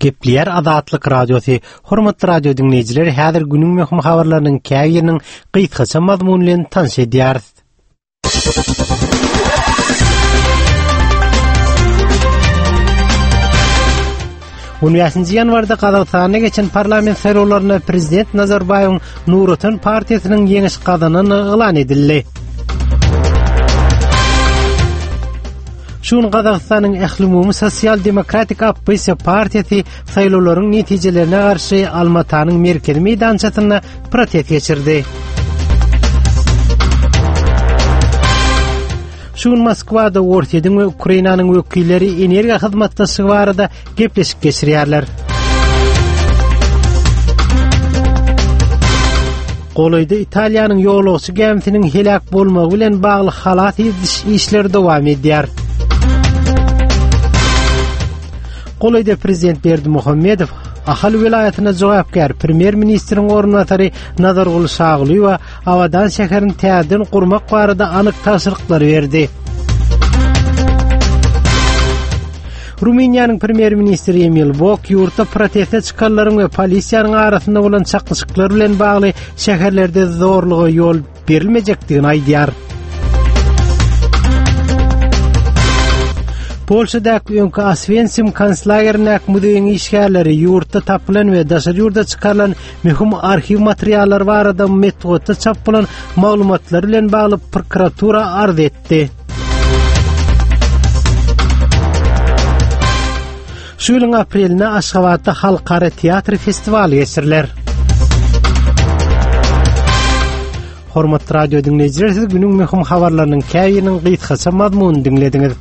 Gepleýär Azatlyk Radiosy. Hormatly radio diňleýjiler, häzir günüň möhüm habarlarynyň käbiriniň gysgaça mazmuny bilen tanyş edýäris. On bäşinji ýanwarda Gazagystanda geçen parlament saýlawlarynda prezident Nazarbaýewiň Nur Otan partiýasynyň ýeňiş gazanandygy yglan edildi. Şu gün Gazagystanyň Ählumumy sosial-demokratik oppozisiýa partiýasy saýlawlaryň netijelerine garşy Almatanyň merkezi meýdançasynda protest geçirdi. Şu gün Moskwada Orsýetiň we Ukrainanyň wekilleri energiýa hyzmatdaşlygy barada gepleşik geçirýärler. Golaýda Italiýanyň ýolagçy gämisiniň heläk bolmagy bilen bagly halas ediş işleri dowam edýär. Golaýda prezident Berdimuhamedow Ahal welaýatyna jogapkär premýer-ministriň orunbasary Nazarguly Şagulyýewa Abadan şäherini täzeden gurmak barada anyk tabşyryklary berdi. Rumyniýanyň premýer-ministri Emil Bok ýurtda proteste çykanlaryň we polisiýanyň arasynda bolan çaknyşyklar bilen bagly şäherlerde zorluga ýol berilmejekdigini aýdýar. Polşadaky öňki Oswensim konslagerindäki muzeýiň işgärleri ýurtda tapylan we daşary ýurda çykarylan möhüm arhiw materiallary barada metbugatda çap bolan maglumatlar bilen bagly prokuratura arz etdi. Şu ýylyň aprelinde Aşgabatda halkara teatr festiwaly geçiriler. Hormatly radio diňleýjiler, siz günüň möhüm habarlarynyň käbiriniň gysgaça mazmunyny diňlediňiz.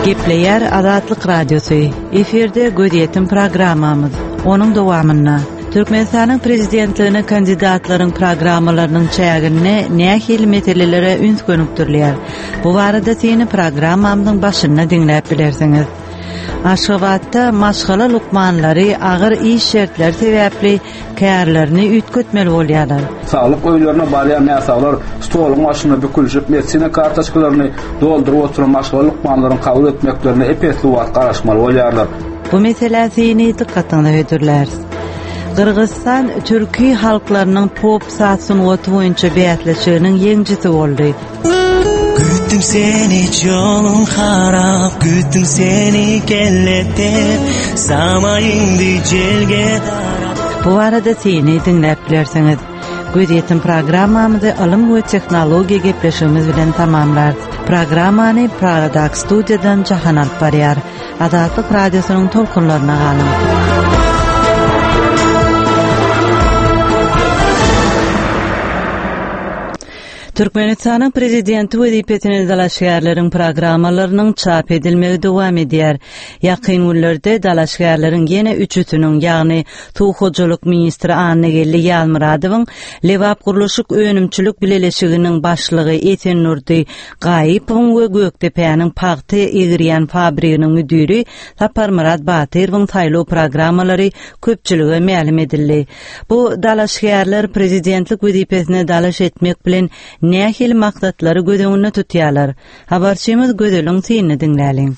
Gepleýär Azatlyk Radiosy. Efirde gözýetim programmamyz. Onuň dowamynda Türkmenistanyň prezidentligine kandidatlaryň programmalarynyň çäginde nähili meselelere üns gönükdirilýär? Bu barada syny programmamyzyň başynda diňläp bilersiňiz. Aşgabatda maşgala lukmanlary agyr iş şertleri sebäpli kärlerini üýtgetmeli bolýarlar. Saglyk öýlerine barýan näsaglar stoluň başynda bükülişip, medisina kartoçkalaryny dolduryp oturan maşgala lukmanlaryň kabul etmeklerine ep-esli wagt garaşmaly bolýarlar. Bu meselä syny dykgatyňyza hödürläris. Gyrgyzystan türki halklarynyň pop saz sungaty boýunça bäsleşiginiň ýeňjisi boldy. Gütdüm seni jolun harap Gütdüm seni kellete Sama indi jelge darap Bu barada syny diňläp bilersiňiz. Gözýetim programmamyzy ylym we tehnologiýa gepleşigimiz bilen tamamlarys. Programmany Pragadaky studiýadan Jahan alyp barýar. Azatlyk Radiosynyň tolkunlaryna galyň. Türkmenistanyň Prezidenti wezipesine dalaşgärleriň programmalarynyň çap edilmegi dowam edýär. Ýakyn günlerde dalaşgärleriň ýene üçüsiniň, ýagny suw hojalyk ministri Annageldi Ýazmyradowyň, Lebapgurluşyk önümçilik bileleşiginiň başlygy Esendurdy Gaýypowyň we Gökdepäniň pagta egirýän fabriginiň müdiri Saparmyrat Batyrowyň saýlaw programmalary köpçülige mälim edildi. Bu dalaşgärler prezidentlik wezipesine dalaş etmek bilen nähili maksatlary göz öňünde tutýarlar? Habarçymyz Gözeliň synyny diňläliň.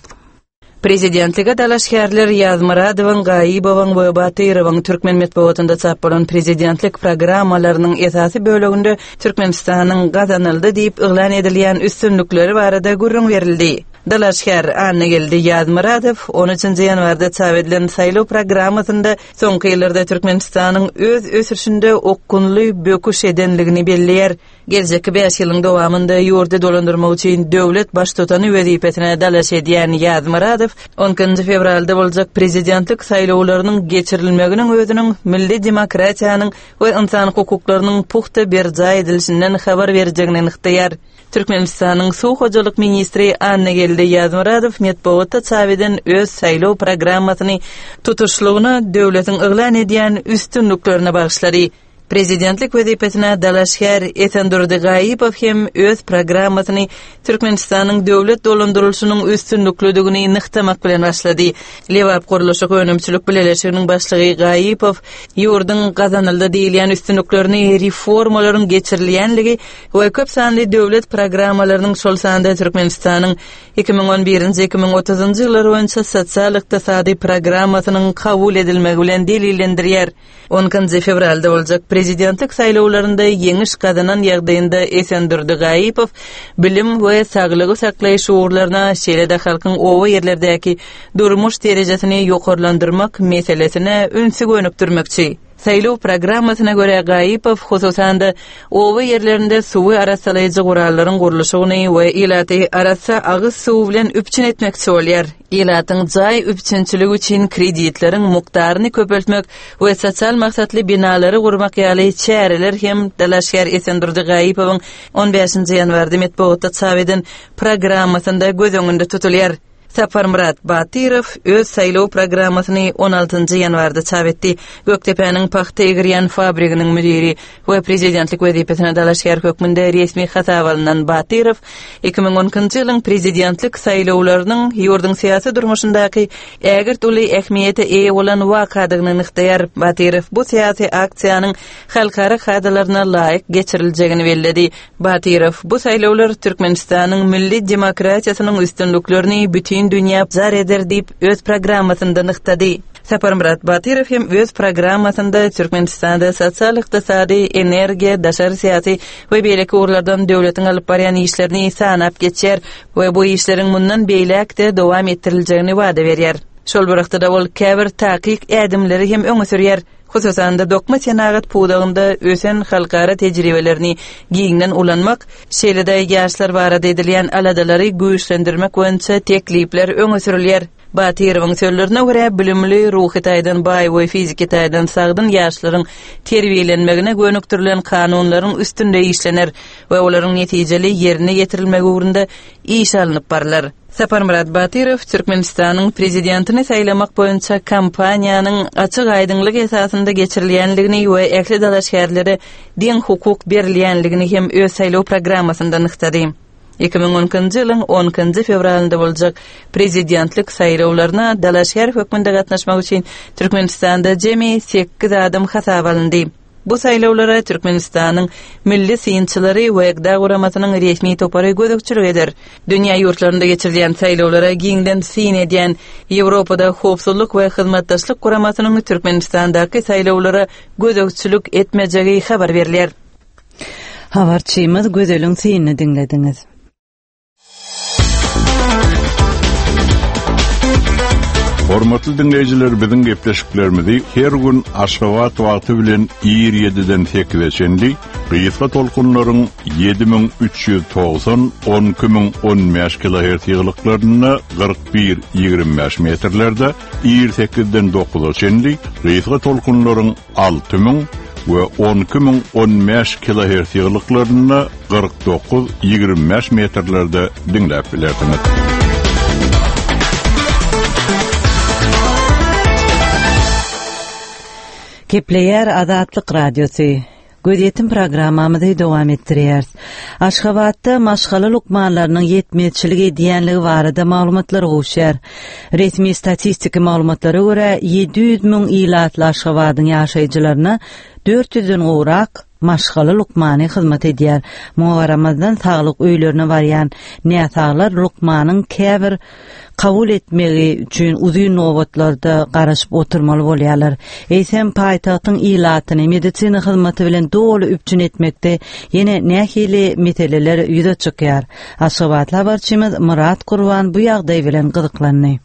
Prezidentlige dalaşgärler Ýazmyradowyň, Gaýybowyň we Batyrowyň türkmen metbugatynda çap bolan prezidentlik programmalarynyň esasy böleginde Türkmenistanyň gazanyldy diýip yglan edilýän üstünlikleri barada gürrüň berildi. Dalaşgär Annageldi Ýazmyradow on üçünji ýanwarda çap edilen saýlaw programmasynda Soňky ýyllarda Türkmenistanyň öz ösüşinde okgunly böküş edenligini belleýär. Geljekki bäş ýylyň dowamynda ýurdy dolandyrmak üçin döwlet Baştutany wezipesine dalaş edýän Ýazmyradow on ikinji fewralda boljak prezidentlik saýlawlarynyň geçirilmeginiň özüniň milli demokratiýanyň we ynsan hukuklarynyň pugta berjaý edilişinden habar berjegini nygtaýar. Türkmenistanyň suw hojalyk ministri Annageldi Ýazmyradow metbugatda çap eden öz saýlaw programmasyny tutuşlygyna döwletiň yglan edýän üstünliklerine bagyşlady. Prezidentlik wezipesine dalaşgär Esendurdy Gaýypow hem öz programmasyny Türkmenistanyň döwlet dolandyrylyşynyň üstünliklidigini nygtamak bilen başlady. Lebap gurluşyk önümçilik bileleşiginiň başlygy Gaýypow ýurduň gazanyldy diýilýän üstünliklerini reformalaryň geçirilýänligi we köp sanly döwlet programmalarynyň, şol sanda Türkmenistanyň 2011-nji, 2030-njy ýyllar boýunça sosial-ykdysady programmasynyň kabul edilmegi bilen delillendirýär. On ikinji fewralda boljak prezidentlik saýlawlarynda ýeňiş gazanan ýagdaýynda Esendurdy Gaýypow bilim we saglygy saklaýyş ugurlaryna, şeýle-de halkyň oba ýerlerdäki durmuş derejesini ýokarlandyrmak meselesine ünsi gönükdirmekçi. Saýlaw programmasyna görä, Gaýypow, hususan-da, oba ýerlerinde suwy arassalaýjy gurallaryň gurluşygyny we ilaty arassa agyz suwy bilen üpjün etmekçi bolýar. Ilatyň jaý üpjünçiligi üçin kreditleriň mukdaryny köpeltmek we sosial maksatly binalary gurmak ýaly çäreler hem dalaşgär Esendurdy Gaýypowyň on bäşinji ýanwarda metbugatda çap eden programmasynda göz öňünde tutulýar. Saparmyrat Batyrow öz saýlaw programmasyny on altynjy ýanwarda çap etdi. Gökdepäniň pagta egirýän fabriginiň müdiri we prezidentlik wezipesine dalaşgär hökmünde resmi hasaba alnan Batyrow 2012-nji ýylyň prezidentlik saýlawlarynyň ýurduň syýasy durmuşyndaky ägirt uly ähmiýete eýe bolan wakadygyny nygtaýar. Batyrow bu syýasy aksiýanyň halkara kadalaryna laýyk geçiriljegini belledi. Batyrow, Bu saýlawlar Türkmenistanyň milli demokratiýasynyň üstünliklerini bütin dünýä jar eder diýip, öz programmasynda nygtady. Saparmyrat Batyrow hem öz programmasynda Türkmenistanda sosial-ykdysady, energiýa, daşary syýasy we beýleki ugurlardan döwletiň alyp barýan işlerini sanap geçýär we bu işleriň mundan beýläk-de dowam etdiriljegini wada berýär. Şol bir wagtda-da ol käbir takyk ädimleri hem öňe sürýär. Hususan-da, dokma senagat pudagynda ösen halkara tejribelerini giňden ulanmak, şeýle-de ýaşlar barada edilýän aladalary güýçlendirmek boýunça teklipler öňe sürülýär. Batyrowyň sözlerine görä, bilimli, ruhy taýdan baý we fiziki taýdan sagdyn ýaşlaryň terbiýelenmegine gönükdirilen kanunlaryň üstünde işlener we olaryň netijeli ýerine ýetirilmegi ugrunda iş alnyp barlar. Saparmyrat Batyrow Türkmenistanyň Prezidentini saýlamak boýunça kampaniýanyň açyk-aýdyňlyk esasynda geçirilýändigini we ähli dalaşgärlere deň hukuk berilýändigini hem öz saýlaw programmasynda nygtady. 2012-nji ýylyň on ikinji fewralynda boljak Prezidentlik saýlawlaryna dalaşgär hökmünde gatnaşmak üçin Türkmenistanda jemi sekiz adam hasaba alyndy. Bu saýlawlara Türkmenistanyň milli synçylary we GDA guramasynyň resmi topary gözegçilik eder. Dünýä ýurtlarynda geçirilýän saýlawlara giňden syn edýän Ýewropada Howpsuzlyk we Hyzmatdaşlyk Guramasynyň Türkmenistandaky saýlawlara gözegçilik etmejegi habar berilýär. Habarçymyz Gözeliň synyny diňlediňiz. Hormatly diňleýjiler biziň gepleşiklerimizi her gün Aşgabat wagty bilen ir 7-den 8-e çenli gysga tolkunlaryň 7390 12015 kilohertz ýygylyklarynda 41 25 metrlerde ir 8-den 9-a çenli gysga tolkunlaryň 6000 we 12015 kilohertz ýygylyklarynda 49 25 metrlerde diňläp bilersiňiz. Gepleýär Azatlyk Radiosy. Gözýetim programmamyzy dowam etdirýäris. Aşgabatda maşgala lukmanlarynyň ýetmezçilik edýänligi barada maglumatlar gowuşýar. Resmi statistiki maglumatlara görä, 700 müň ilatly Aşgabadyň ýaşaýjylaryna 400-den gowrak maşgala lukmany hyzmat edýär. Muňa garamazdan, saglyk öýlerine barýan näsaglar lukmanyň käbir kabul etmegi üçin uzyn nobatlarda garaşyp oturmaly bolýarlar. Eýsem, paýtagtyň ilatyny medisina hyzmaty bilen doly üpjün etmekde ýene nähili meseleler ýüze çykýar? Aşgabatly habarçymyz Myrat Gurban bu ýagdaý bilen gyzyklandy.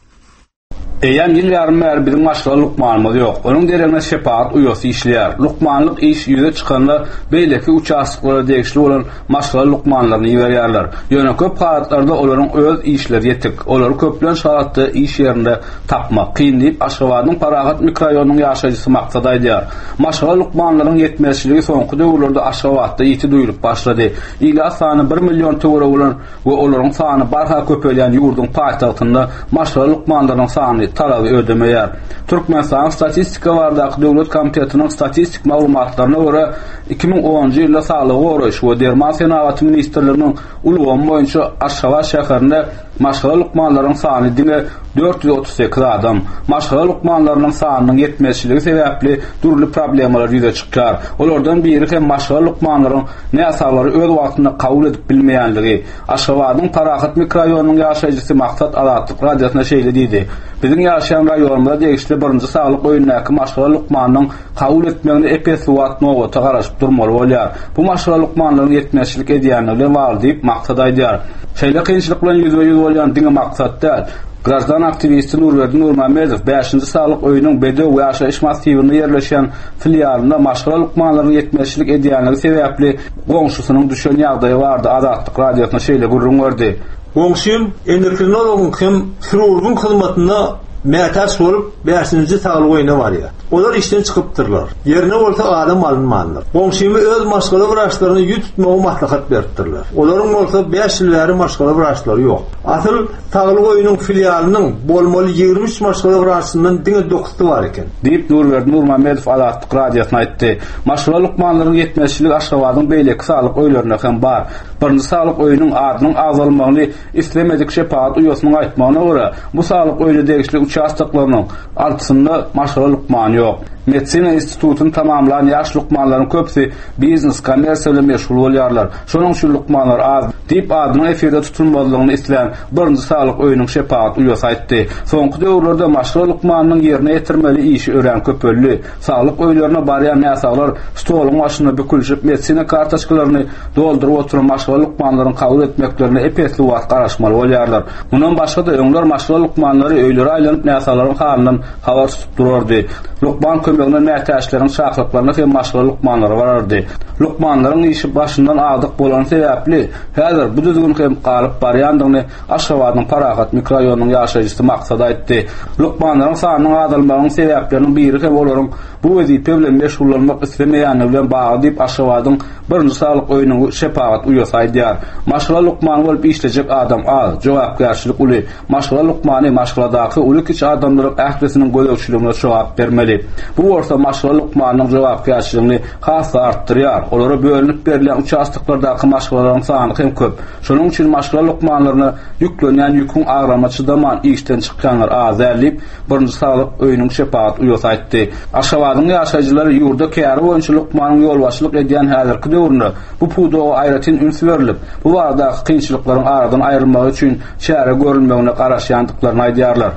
Eýýäm ýyl ýarym bäri biziň maşgala lukmanymyz ýok. Onuň deregine şepagat uýasy işleýär. Lukmanlyk iş ýüze çykanda beýleki uçastoklara degişli bolan maşgala lukmanlaryny iberýärler. Ýöne köp halatlarda olaryň öz işleri ýetik. Olary köplenç halatda iş ýerinde tapmak kyn diýip, Aşgabadyň Parahat mikroraýonynyň ýaşaýjysy Maksat aýdýar. Maşgala lukmanlaryň ýetmezçiligi soňky döwürlerde Aşgabatda ýiti duýulyp başlady. Ilat sany bir million töweregi bolan we olaryň sany barha köpelýän ýurduň paýtagtynda maşgala lukmanlarynyň sany. talaby ödemeýär. Türkmenistanyň Statistika baradaky döwlet komitetiniň statistik maglumatlaryna görä, 2010-njy ýylda Saglygy goraýyş we derman senagaty ministrliginiň ulgamy boýunça Aşgabat şäherinde maşgala lukmanlaryň sany diňe 438 adam. Maşgala lukmanlarynyň sanynyň ýetmezçiligi sebäpli dürli problemalar ýüze çykýar. Olardan biri hem maşgala lukmanlaryň näsaglary öz wagtynda kabul edip bilmeýänligi. Aşgabadyň Parahat mikroraýonynyň ýaşaýjysy Maksat Azatlyk Radiosyna şeýle diýdi, Biziň ýaşaýan raýonymyza degişli birinji saglyk öýündäki maşgala lukmanynyň kabul etmegine ep-esli wagt nobata garaşyp durmaly bolýar. Bu maşgala lukmanlaryň ýetmezçilik edýänligi bilen bagly diýip, Maksat aýdýar. Şeýle kynçylyk bilen ýüzbe-ýüz bolýan diňe Maksat däl. Graždan aktiwisti Nurberdi Nurmämmedow bäşinji saglyk öýüniň Bedew ýaşaýyş massiwinde ýerleşýän filialynda maşgala lukmanlaryň ýetmezçilik edýänligi sebäpli goňşusynyň düşen ýagdaýy barada Azatlyk Radiosyna şeýle gürrüň berdi. Goňşym endokrinologyň hem hirurgyň hyzmatyna mätäç bolup, bäşinji saglyk öýüne barýar. Olar işden çykypdyrlar. Ýerine bolsa adam alynmandyr. Goňşyma öz maşgala wraçlaryna ýüz tutmagy maslahat beripdirler. Olaryň bolsa bäş ýyl bäri maşgala wraçlary ýok. Asyl, saglyk öýüniň filialynyň bolmaly 23 maşgala wraçyndan diňe dokuzsy bar eken. Diýip, Nurberdi Nurmämmedow Azatlyk Radiosyna aýtdy. Maşgala lukmanlaryň ýetmezçiligi Aşgabadyň beýleki saglyk öýlerinde hem bar. Birinji saglyk öýüniň adynyň agzalmagyny islemedik şepagat uýasynyň aýtmagyna görä, bu saglyk öýüne degişli uçastoklarynyň altysynda maşgala lukmany ýok. Medisina institutyny tamamlan ýaş lukmanlaryň köpüsi biznes, kommersiýa bilen meşgul bolýarlar. Şonuň üçin lukmanlar az, diýip, adynyň efirde tutulmazlygyny islän birinji saglyk öýüniň şepagat uýasy aýtdy. Soňky döwürlerde maşgala lukmanynyň ýerine ýetirmeli işi örän köpeldi. Saglyk öýlerine barýan näsaglar stoluň başynda bükülişip, medisina kartoçkalaryny dolduryp oturan maşgala lukmanlaryň kabul etmeklerine ep-esli wagt garaşmaly bolýarlar. Mundan başga-da, öňler maşgala lukmanlary öýlere aýlanyp näsaglaryň halyndan habar tutup durardy. Lukman kömegine mätäçleriň çakylyklaryna hem maşgala lukmanlary barardy. Lukmanlaryň işi başyndan agdyk bolany sebäpli, häzir bu düzgün hem galyp barýandygyny Aşgabadyň Parahat mikroraýonynyň ýaşaýjysy Maksat aýtdy. Lukmanlaryň sanynyň azalmagynyň sebäpleriniň biri hem olaryň bu wezipe bilen meşgullanmak islemeýänligi bilen bagly diýip, Aşgabadyň birinji saglyk öýüniň şepagat uýasy aýdýar. Maşgala lukmany bolup işlejek adam az, jogapkärçilik uly. Maşgala lukmany maşgaladaky uly-kiçi adamlaryň ählisiniň gözegçiligine jogap bermeli. Bu bolsa maşgala lukmanynyň jogapkärçiligini has-da artdyrýar. Olara bölünip berilýän uçastoklardaky maşgalalaryň sany hem köp. Şonuň üçin maşgala lukmanlaryna ýüklenýän ýüküň agrama çydaman işden çykýanlar az däl diýip, birinji saglyk öýüniň şepagat uýasy aýtdy. Aşgabadyň ýaşaýjylary ýurda käri boýunça lukmanyň ýolbaşçylyk edýän häzirki döwründe bu pudaga aýratyn üns berlip, bu baradaky kynçylyklaryň aradan aýrylmagy üçin çäre görülmegine garaşýandyklaryny aýdýarlar.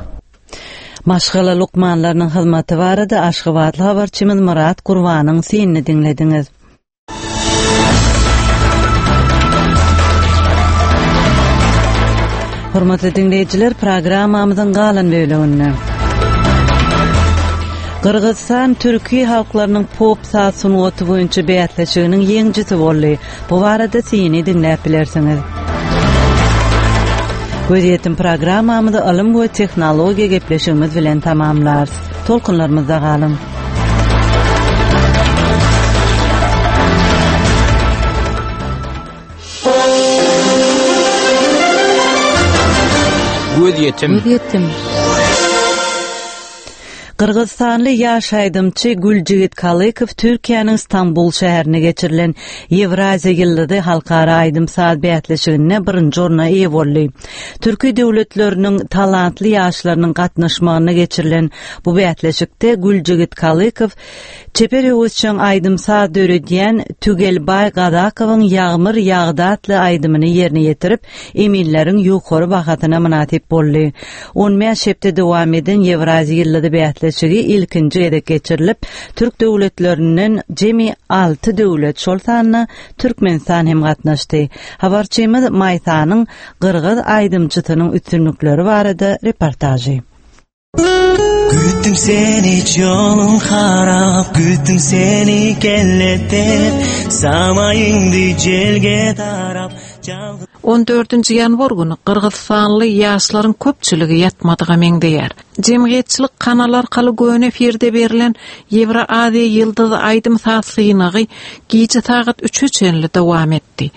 Maşgala lukmanlarynyň hyzmaty barada aşgabatly habarçymyz Myrat Gurbanyň synyny diňlediňiz. Hormatly diňleýjiler, programmamyzyň galan böleginde Gyrgyzystan türki halklarynyň pop saz sungaty boýunça bäsleşiginiň ýeňijisi boldy. Bu barada syny diňläp bilersiňiz. Gözýetim programmamyzy ylym we tehnologiýa gepleşigimiz bilen tamamlarys. Tolkunlarymyzda galyň. Gözýetim. Gözýetim. Gyrgyzystanly ýaş aýdymçy Güljigit Kalykow Türkiýäniň Stambul şäherinde geçirilen Ýewraziýa ýyldyzy halkara aýdym-saz bäsleşiginde birinji orna eýe boldy. Türki döwletleriniň talantly ýaşlarynyň gatnaşmagynda geçirilen Bu bäsleşikde Güljigit Kalykow çeper höwesjeň aýdym-saz döredýän Tügelbaý Gazakowyň Ýagmyr ýagdy atly aýdymyny ýerine ýetirip, eminleriň ýokary bahasyna mynasyp boldy. On bäş hepde dowam eden Ýewraziýa ýyldyzy bäsleşigi ilkinji gezek geçirilip, türk döwletlerinden jemi alty döwlet, şol sanda Türkmenistan hem gatnaşdy. Habarçymyz Maýsanyň gyrgyz aýdymçysynyň üstünlikleri barada reportažy. Gütdüm seni joluň harap, gütdüm seni kelletep, Samaýyňdy jelge darap. On dördünji ýanwar güni gyrgyzystanly ýaşlaryň köpçüligi ýatmadyga meňzeýär. Jemgyýetçilik kanaly arkaly göni efirde berlen Ýewroaziýa ýyldyzy aýdym-saz synagy gije sagat üçe çenli dowam etdi.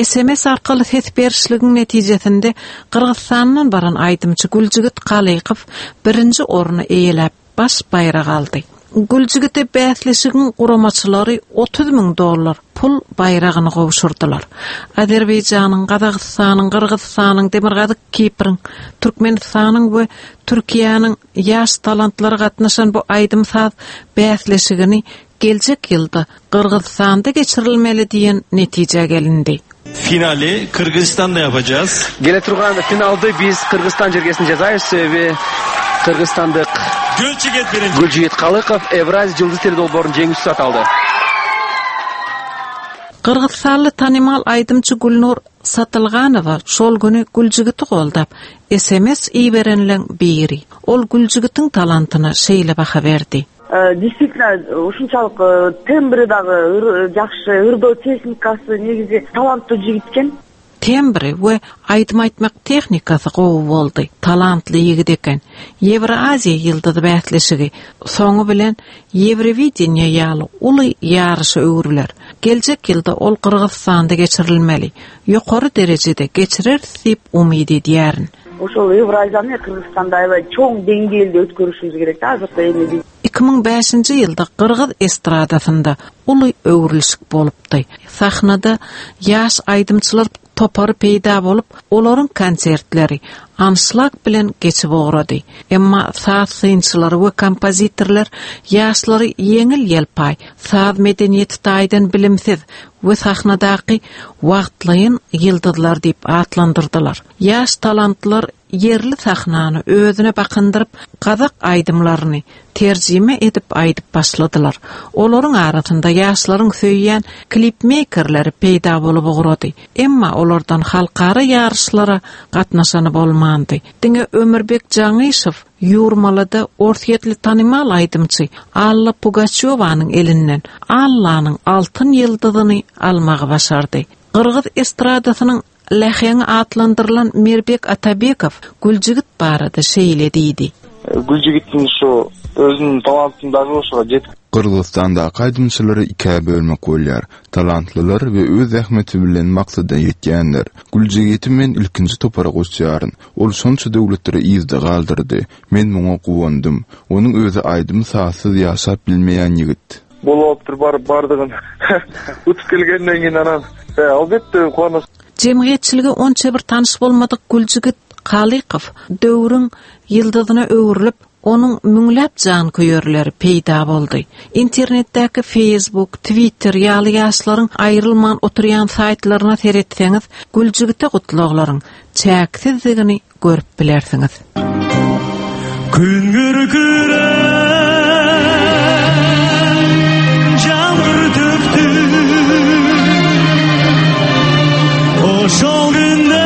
Sms arkaly ses berişligiň netijesinde Gyrgyzystandan baran aýdymçy Güljigit Kalykow birinji orny eýeläp, baş baýragy aldy. Güljigide bäsleşigiň guramaçylary 30 müň dollar pul baýragyny gowşurdylar. Azerbaýjanyň, Gazagystanyň, Gyrgyzystanyň, Demirgazyk Kipriň, Türkmenistanyň we Türkiýäniň ýaş talantlary gatnaşan bu aýdym-saz bäsleşigini geljek ýylda Gyrgyzystanda geçirilmeli diýen netijä gelindi. Finali Kyrgyzystanda yapacağız. Келе турган финалды биз Кыргызстан жергесинде жасайбыз, себеби кыргызстандык Гүлжигит биринчи. Гүлжигит Калыков Евразия жылдыз теледолбоорунун жеңүүчүсү аталды. Gyrgyzystanly tanymal aýdymçy Gülnur Satylganowa şol güni Güljigiti goldap, sms iberenleň biri. Ol Güljigitiň talantyna şeýle baha berdi. Действительно ушунчалык тембри дагы жакшы, ырдоо техникасы негизи таланттуу жигит экен. Tembri we aýdym aýtmak tehnikasy gowy boldy. Talantly ýigit eken. Ýewroaziýa ýyldyzy bäsleşigi soňy bilen Ýewrowideniýe ýaly uly ýaryşa öwrüler. Geljek ýylda ol Gyrgyzystanda geçirilmeli. Ýokary derejede geçireris diýip umyt edýärin. Ошол Евразияны Кыргызстанда аябай чоң деңгээлде өткөрүшүбүз керек да азыркы эми. 2005-nji ýylda gyrgyz estradasynda uly öwrülişik bolupdy. Sahnada ýaş aýdymçylar topary peýda bolup, olaryň konsertleri anşlag bilen geçip ugrady. Emma saz synçylary we kompozitorlar ýaşlary ýeňil-ýelpaý, saz medeniýeti taýdan bilimsiz we sahnadaky wagtlaýyn ýyldyzlar diýip atlandyrdylar. Ýaş talantlar ýerli sahnany özüne bakyndyryp, gazak aýdymlaryny terjime edip aýdyp başladylar. Olaryň arasynda ýaşlaryň söýýän klipmeýkerleri peýda bolup ugrady. Emma olardan halkara ýaryşlara gatnaşany bolmandy. Diňe Ömürbek Jaňyşow Ýurmalada orsýetli tanymal aýdymçy Alla Pugaçýowanyň elinden Allanyň altyn ýyldyzyny almagy başardy. Gyrgyz estradasynyň Läheňi atlandyrylan Mirbek Atabekow Güljigit barada şeýle diýdi. Güljigittiň şu özüniň talantyny dagy ошого жетип. Gyrgyzystandaky aýdymçylary ikä bölmek bolýar, talantlylar we öz zähmeti bilen maksada ýetýänler. Güljigiti men ilkinji topara goşýaryn. Ol şonça döwletleri yzda galdyrdy. Men muňa guwandym. Onuň özi aýdym-sazsyz ýaşap bilmeýän ýigit. Bolupdyr baryp bardygyn utup kelgenden keyin anан alбетте кубанасың. Jemgyýetçilige onça bir tanyş bolmadyk Güljigit Kalykow döwrüň ýyldyzyna öwrülip, onuň müňläp janköýerleri peýda boldy. Internetdäki Facebook, Twitter ýaly ýaşlaryň aýrylman oturýan saýtlaryna seretseňiz, Güljigite gutlaglaryň çäksizdigini görüp bilersiňiz. Gün gürküräp Jamgyr tökdi Oşol günde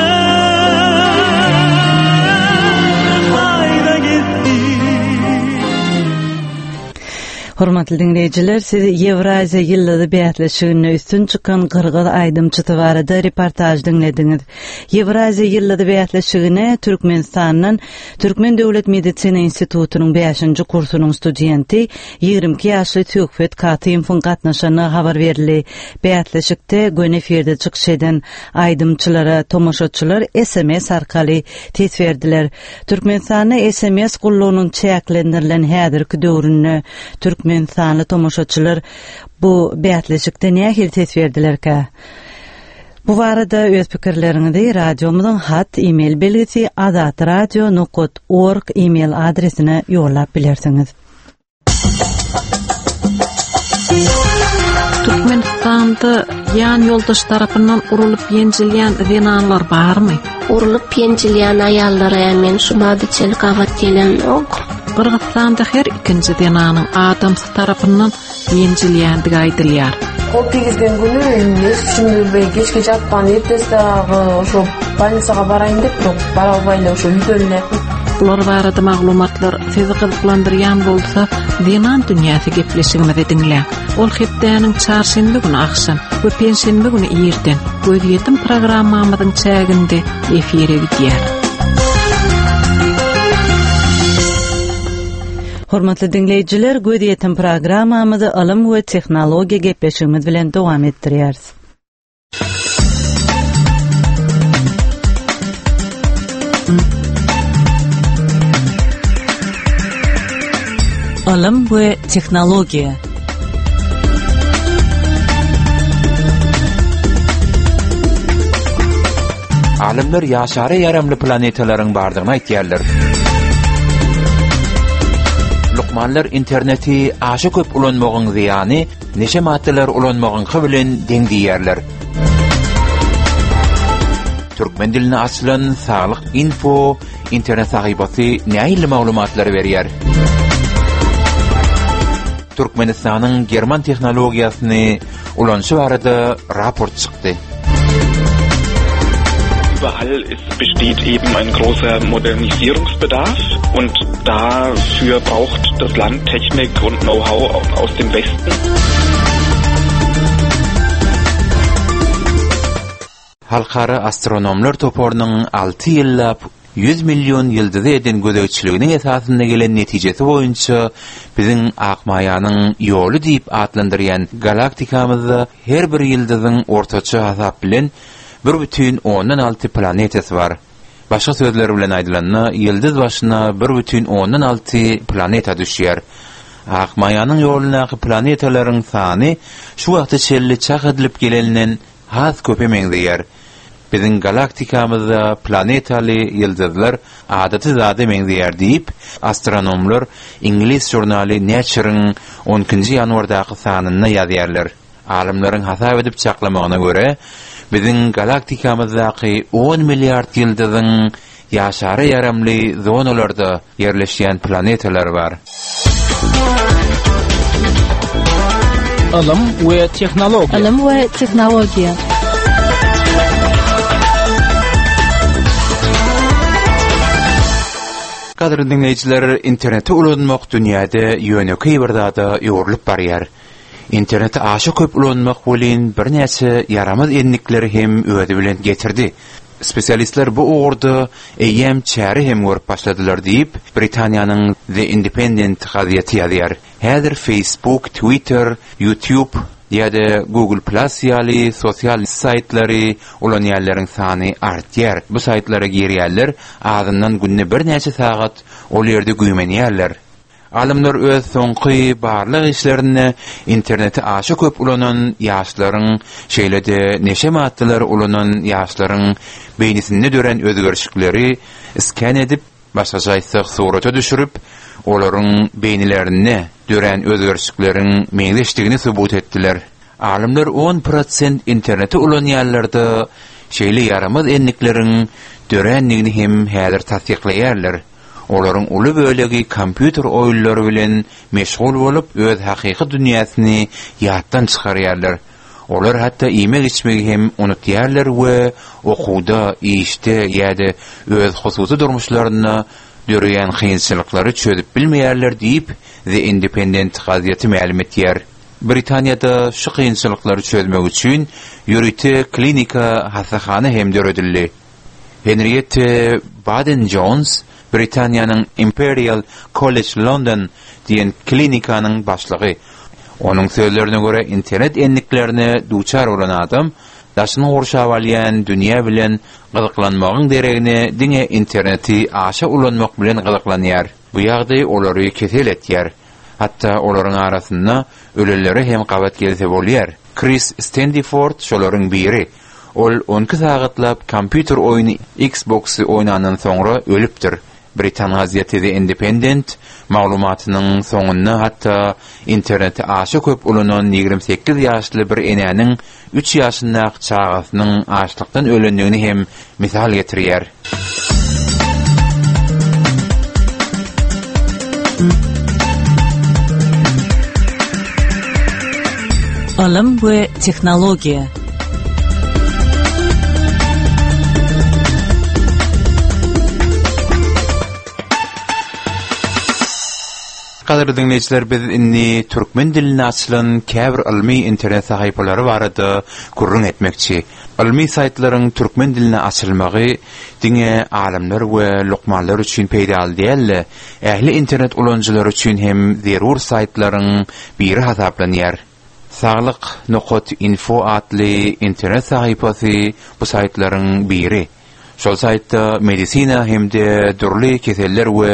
Kayda gitdi Hormatly diňleýjiler, siz Ýewraziýa ýyldyzy bäsleşiginde üstün çykan gyrgyz aýdymçysy barada reportaž diňlediňiz. Ýewraziýa ýyldyzy bäsleşigine Türkmenistandan Türkmen döwlet medisina institutynyň bäşinji kursunyň studenti, 22 ýaşly Söhbet Katymowyň gatnaşandygy habar berildi. Bäsleşikde göni efirde çykyş eden aýdymçylara tomaşaçylar sms arkaly ses berdiler. Türkmenistanda sms gullugynyň çäklendirilen häzirki döwründe türkmenistanly tomaşaçylar bu bäsleşikde nähili ses berdilerkä? Bu barada öz pikirleriňizi radiomyzyň hat e-mail belgisi azatradio nokat org e-mail adresine ýollap bilersiňiz. Türkmenistanda ýan ýoldaş tarapyndan urulyp ýenjilýän zenanlar barmy? Urulyp ýenjilýän aýallara men şu bada çenli gabat gelemok. Gyrgyzystanda her ikinji zenanyň adamsy tarapyndan ýenjilýändigi aýdylýar. Kol tegizgen günü эч түшүмдү билбей кечке жаткан эртеси дагы ошо больницага барайын деп бирок бара албай эле ошо үйдөн эле Bular barada maglumatlar sizi gyzyklandyrýan bolsa, Zenan dünýäsi gepleşigimizi diňläň. Ol hepdäniň çarşenbe güni agşam. we penşenbe güni irden Gözýetim programmamyzyň çäginde efire gidýär. Hormatly diňleýjiler, Gözýetim programmamyzy ylym we tehnologiýa gepleşigimiz bilen dowam etdirýäris. Ylym we tehnologiýa. Alymlar ýaşara ýaramly planetalaryň bardygyny aýtýarlar. Lukmanlar interneti aşa köp ulanmagyň zyýany neşe maddalary ulanmagyňky bilen deň diýýärler. Türkmen diline açylan Saglyk info internet sahypasy nähili maglumatlary berýär? Türkmenistanyň german tehnologiýasyny ulanyşy barada raport çykdy. Überall ist, besteht eben ein großer Modernisierungsbedarf und dafür braucht das Land Technik und Know-how aus dem Westen. Halkara astronomlar toparynyň 6 ýyllap 100 million ýyldyza eden gözegçiliginiň esasynda gelen netijesi boýunça biziň Akmaýanyň ýoly diýip atlandyrýan galaktikamyzda her bir ýyldyzyň ortaça hasap bilen 1,6 planetasy bar. Başga sözler bilen aýdylanda, ýyldyz başyna 1,6 planeta düşýär. Akmaýanyň ýolundaky planetalaryň sany şu wagta çenli çak edilip geleninden has köpe meňzeýär. Biziň galaktikamyzda planetaly ýyldyzlar adaty zada meňzeýär diýip, astronomlar iňlis žurnaly Nature-iň on ikinji ýanwardaky sanynda ýazýarlar. Alymlaryň hasap edip çaklamagyna görä, biziň galaktikamyzdaky on milliard ýyldyzyň ýaşara ýaramly zonalarda ýerleşýän planetalary bar. Ylym we tehnologiýa. Ylym we tehnologiýa. Gadyrly diňleýjiler, interneti ulanmak dünýäde ýönekeý bir zada öwrülip barýar. Interneti aşa köp ulanmak welin birnäçe ýaramaz endikleri hem özi bilen getirdi. Spesialistler bu ugurda eýýäm çäre hem görüp başladylar diýip, Britaniýanyň The Independent gazeti ýazýar. Häzir Facebook, Twitter, YouTube ýa-da Google Plus ýaly sosial saýtlary ulanýanlaryň sany artýar. Bu saýtlara girýänler azyndan günde birnäçe sagat ol ýerde güýmenýärler. Alymlar öz soňky barlag işlerinde interneti aşa köp ulanan ýaşlaryň, şeýle-de neşe maddalary ulanan ýaşlaryň beýnisinde dörän özgerişikleri sken edip, başgaça aýtsak surata düşürip, olaryň beýnilerinde dörän özgerişikleriň meňzeşdigini subut etdiler. Alymlar on prosent interneti ulanýanlarda şeýle ýaramaz endikleriň dörändigini hem häzir tassyklaýarlar. Olaryň uly bölegi kompýuter oýunlary bilen meşgul bolup, öz hakyky dünýäsini ýatdan çykarýarlar. Olar hatda iýmek-içmegi hem unutýarlar we okuwda, işde ýa-da öz hususy durmuşlarynda döreýän kynçylyklary çözüp bilmeýärler diýip, The Independent gazeti mälim etýär. Britaniýada şu kynçylyklary çözmek üçin ýörite klinika hassahana hem döredildi. Henriette Baden-Jons Britaniýanyň Imperial College London diýen klinikanyň başlygy. Onuň sözlerine görä, internet endiklerine duçar bolan adam daşyny gurşap alýan dünýä bilen gyzyklanmagyň deregine diňe interneti aşa ulanmak bilen gyzyklanýar. Bu ýagdaý olary kesel etýär. Hatda olaryň arasynda ölenlere hem gabat gelse bolýar. Kris Stendiford şolaryň biri. Ol on iki sagatlap kompýuter oýny Xbox-y oýnandan soňra ölüpdir. Britan gazeti The Independent maglumatynyň soňunda hatda interneti aşa köp ulanan 28 ýaşly bir enäniň üç ýaşyndaky çagasynyň açlykdan ölendigini hem mysal getirýär. Ylym we tehnologiýa. Gadyrly diňleýjiler, biz indi türkmen dilinde açylan käbir ylmy internet sahypalary barada gürrüň etmekçi. Ylmy saýtlaryň türkmen dilinde açylmagy diňe alymlar we lukmanlar üçin peýdaly däl-de, ähli internet ulanyjylary üçin hem zerur saýtlaryň biri hasaplanýar. Saglyk nokat info atly internet sahypasy bu saýtlaryň biri. Şol saýtda medisina hem-de dürli keseller we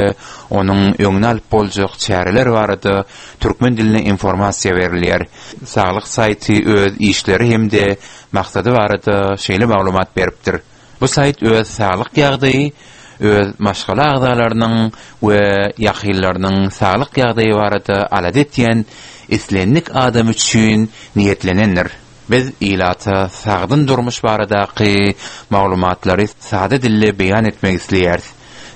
onuň öňüni alyp boljak çäreler barada türkmen dilinde informasiýa berilýär. Saglyk saýty öz işleri hem-de maksady barada şeýle maglumat beripdir. Bu saýt öz saglyk ýagdaýy, öz maşgala agzalarynyň we ýakynlarynyň saglyk ýagdaýy barada alada etýän islendik adam üçin niýetlenendir. Biz ilata sagdyn durmuş baradaky maglumatlary sada dilde beýan etmek isleýäris.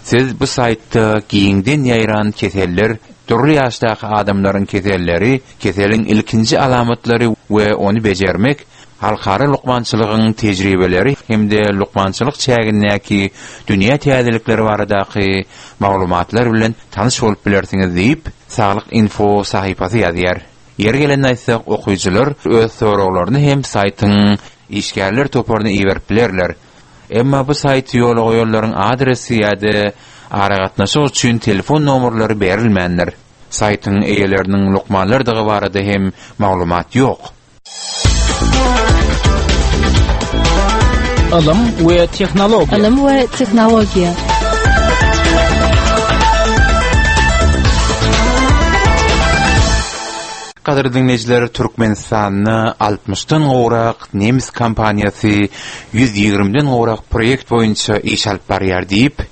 Siz bu saýtda giňden ýaýran keseller, dürli ýaşdaky adamlaryň keselleri, keseliň ilkinji alamatlary we ony bejermek, halkara lukmançylygyň tejribeleri hem-de lukmançylyk çägindäki dünýä täzelikleri baradaky maglumatlar bilen tanyş bolup bilersiňiz diýip, Saglyk info sahypasy ýazýar. Ýeri gelende aýtsak, okyjylar öz soraglaryny hem saýtyň işgärler toparyna iberip bilerler. Emma bu saýty ýola goýanlaryň adresi ýa-da aragatnaşyk üçin telefon nomerleri berilmändir. Saýtyň eýeleriniň lukmanlardygy barada hem maglumat ýok. Ylym we tehnologiýa. Ylym we tehnologiýa. Gadyrly diňleýjiler, Türkmenistanda altmyşdan gowrak nemes kompaniýasy 120-den gowrak proýekt boýunça iş alyp barýar diýip,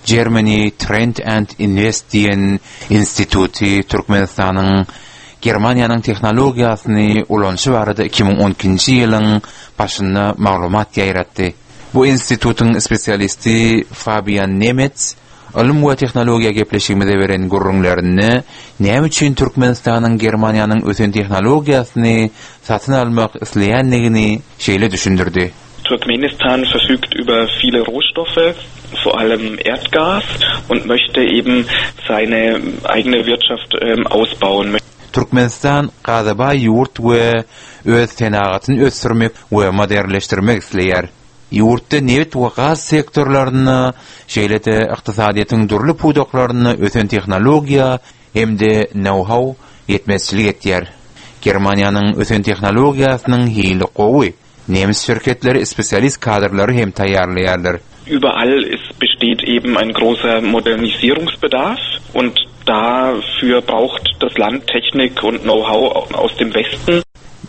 Germany Trend and Invest diýen instituty Türkmenistanyň Germaniýanyň tehnologiýasyny ulanyşy barada 2012-nji ýylyň başynda maglumat ýaýratdy. Bu institutyň spesialisti Fabian Nemets Ylym we tehnologiýa gepleşigimize beren gürrüňlerinde näme üçin Türkmenistanyň Germaniýanyň ösen tehnologiýasyny satyn almak isleýändigini şeýle düşündirdi. Turkmenistan verfügt über viele Rohstoffe, vor allem Erdgas und möchte eben seine eigene Wirtschaft ausbauen. Türkmenistan gaza baý ýurt we öz senagatyny ösdürmek we modernleşdirmek isleýär. Ýurtda nebit we gaz sektorlarynda, şeýle-de ykdysadyýetiň dürli pudaklarynda ösen tehnologiýa hem-de nou-hau ýetmezçilik etýär. Germaniýanyň ösen tehnologiýasynyň hili gowy. Nemes şirketleri spesialist kadrlary hem taýýarlaýarlar. Überall es besteht eben ein großer Modernisierungsbedarf und dafür braucht das Land Technik und Know-how aus dem Westen.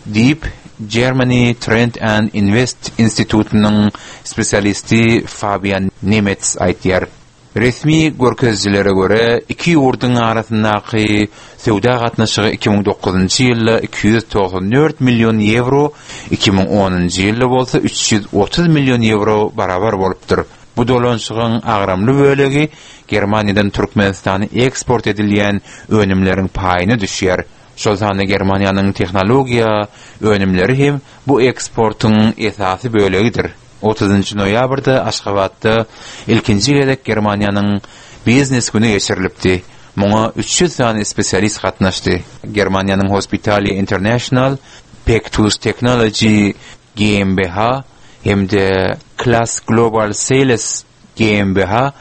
Diýip, Germany Trend and Invest institutynyň spesialisti Fabian Nemets aýdýar. Resmi görkezijilere görä, iki ýurduň arasyndaky söwda gatnaşygy 2009-njy ýylda 294 million ýewro, 2010-njy ýylda bolsa 330 million ýewro barabar bolupdyr. Bu dolanyşygyň agramly bölegi Germaniýadan Türkmenistana eksport edilýän önümleriň paýyna düşýär. Şol sanda Germaniýanyň tehnologiýa önümleri hem bu eksportyň esasy bölegidir. Otuzynjy noýabrda Aşgabatda ilkinji gezek Germaniýanyň Biznes güni geçirilipdi. Muňa 300 sany spesialist gatnaşdy. Germaniýanyň Hospitalia International, Pectus Technology GmbH hem-de Class Global Sales GmbH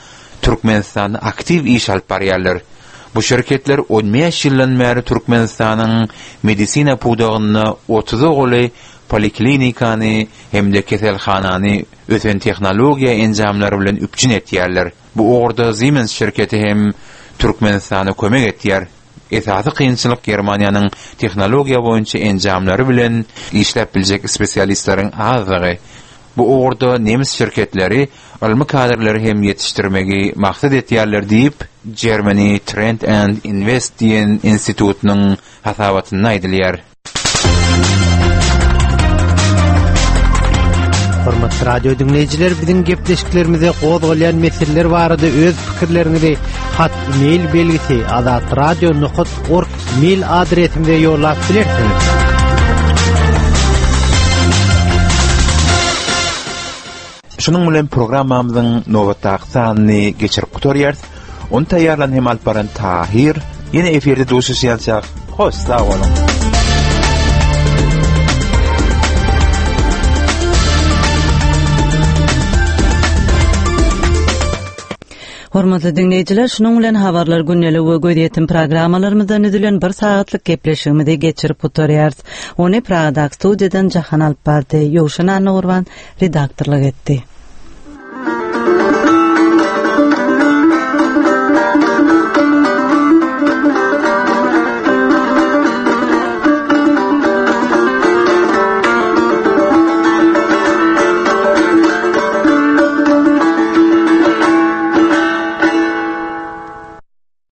Türkmenistanda aktiw iş alyp barýarlar. Bu şirketler on bäş ýyldan bäri Türkmenistanyň medisina pudagynda otuza golaý poliklinikany hem-de keselhanany ösen tehnologiýa enjamlary bilen üpjün etýärler. Bu ugurda Siemens şirketi hem Türkmenistana kömek etýär. Esasy kynçylyk Germaniýanyň tehnologiýa boýunça enjamlary bilen işläp biljek spesialistleriň azlygy. Bu ugurda nemes şirketleri ylmy kadrlary hem ýetişdirmegi maksat etýärler diýip, Germany Trend and Invest diýen institutynyň hasabatynda aýdylýar. Hormatly radio diňleýjiler, biziň gepleşiklerimize gozgalýan meseleler barada öz pikirleriňizi hat mail belgisi azatradio.org mail adresimize ýollap bilersiňiz. Şunuň bilen programmamyzyň nobatdaky sanyny geçirip gutarýarys. Ony taýýarlan hem alyp baran Tahir. Ýene efirde duşuşýançak, hoş sag boluň. Hormatly diňleýjiler, şunuň bilen habarlar gündeligi we gözýetim programmalarymyzdan düzülen bir sagatlyk gepleşigimizi geçirip gutarýarys. Ony Pragadaky studiýadan Jahan alyp bardy. Ýowşan Annagurban redaktorlyk etdi.